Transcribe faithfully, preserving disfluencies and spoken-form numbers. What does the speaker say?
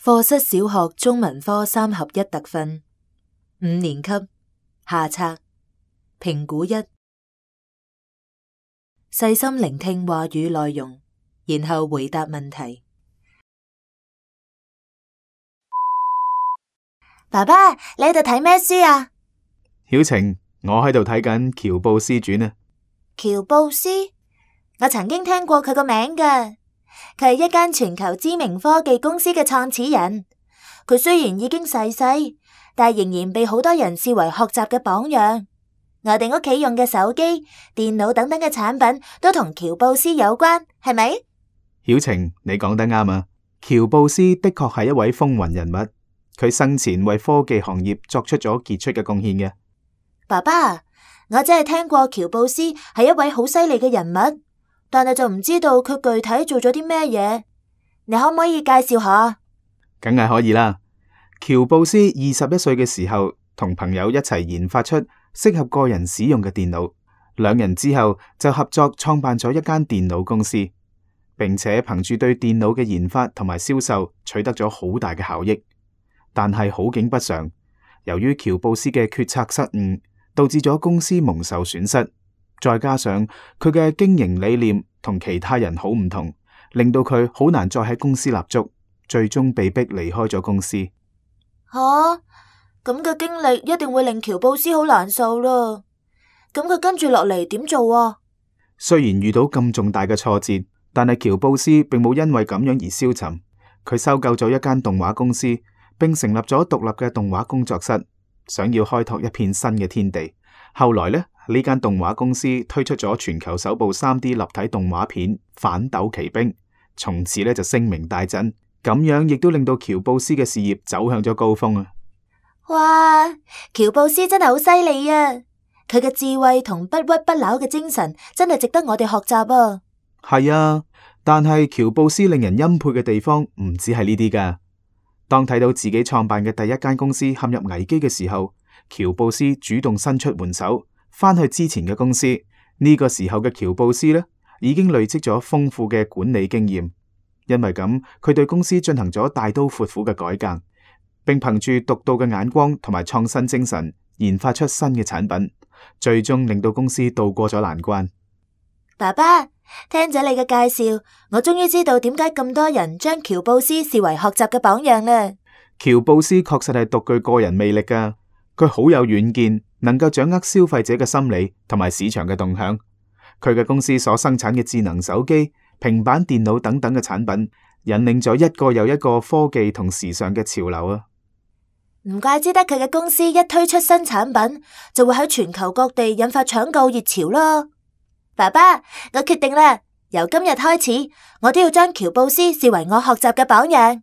課室小學中文科三合一特訓，五年級下冊評估一，細心聆聽話語內容，然後回答問題。爸爸，你喺度睇咩書啊？曉晴，我喺度睇緊喬布斯傳啊。喬布斯，我曾經聽過佢個名㗎。佢係一間全球知名科技公司嘅創始人。佢雖然已經逝世，但仍然被好多人視為學習嘅榜樣。我哋屋企用嘅手機、電腦等等嘅產品都同喬布斯有關，係咪？曉晴，你講得啱啊！喬布斯的確係一位風雲人物，佢生前為科技行業作出咗傑出嘅貢獻嘅。爸爸，我真係聽過喬布斯係一位好犀利嘅人物，但係就唔知道佢具體做咗啲咩嘢。你可唔可以介紹下？梗係可以啦。喬布斯二十一歲嘅時候，同朋友一齊研發出適合個人使用嘅電腦。兩人之後就合作創辦咗一間電腦公司，並且憑住對電腦嘅研發同埋銷售取得咗好大嘅效益。但係好景不常，由於喬布斯嘅決策失誤，導致咗公司蒙受損失。再加上佢嘅經營理念同其他人好唔同，令到佢好難再喺公司立足，最終被逼離開咗公司。吓，咁嘅經歷一定會令喬布斯好難受啦。咁佢跟住落嚟點做啊？雖然遇到咁重大嘅挫折，但係喬布斯並冇因為咁樣而消沉。佢收購咗一間動畫公司，並成立咗獨立嘅動畫工作室，想要開拓一片新嘅天地。後來呢，呢間動畫公司推出咗全球首部 三 D 立體動畫片《反斗奇兵》，從此呢就聲名大振。咁樣亦都令到喬布斯嘅事業走向咗高峰啊！哇，喬布斯真係好犀利啊！佢嘅智慧同不屈不撓嘅精神真係值得我哋學習啊！係啊，但係喬布斯令人欽佩嘅地方唔止係呢啲噶。當睇到自己創辦嘅第一間公司陷入危機嘅時候，喬布斯主動伸出援手，翻去之前嘅公司。呢個時候嘅喬布斯呢，已經累積咗豐富嘅管理經驗。因為咁，佢對公司進行咗大刀闊斧嘅改革，並憑住獨到嘅眼光同埋創新精神，研發出新嘅產品，最終令到公司渡過咗難關。爸爸，聽咗你嘅介紹，我終於知道點解咁多人將喬布斯視為學習嘅榜樣啦。喬布斯確實係獨具個人魅力噶，佢好有遠見，能夠掌握消費者嘅心理同埋市場嘅動向。佢嘅公司所生產嘅智能手機、平板電腦等等嘅產品，引領咗一個又一個科技同時尚嘅潮流啊！唔怪之得佢嘅公司一推出新產品，就會喺全球各地引發搶購熱潮咯。爸爸，我決定啦，由今日開始，我都要將喬布斯視為我學習嘅榜樣。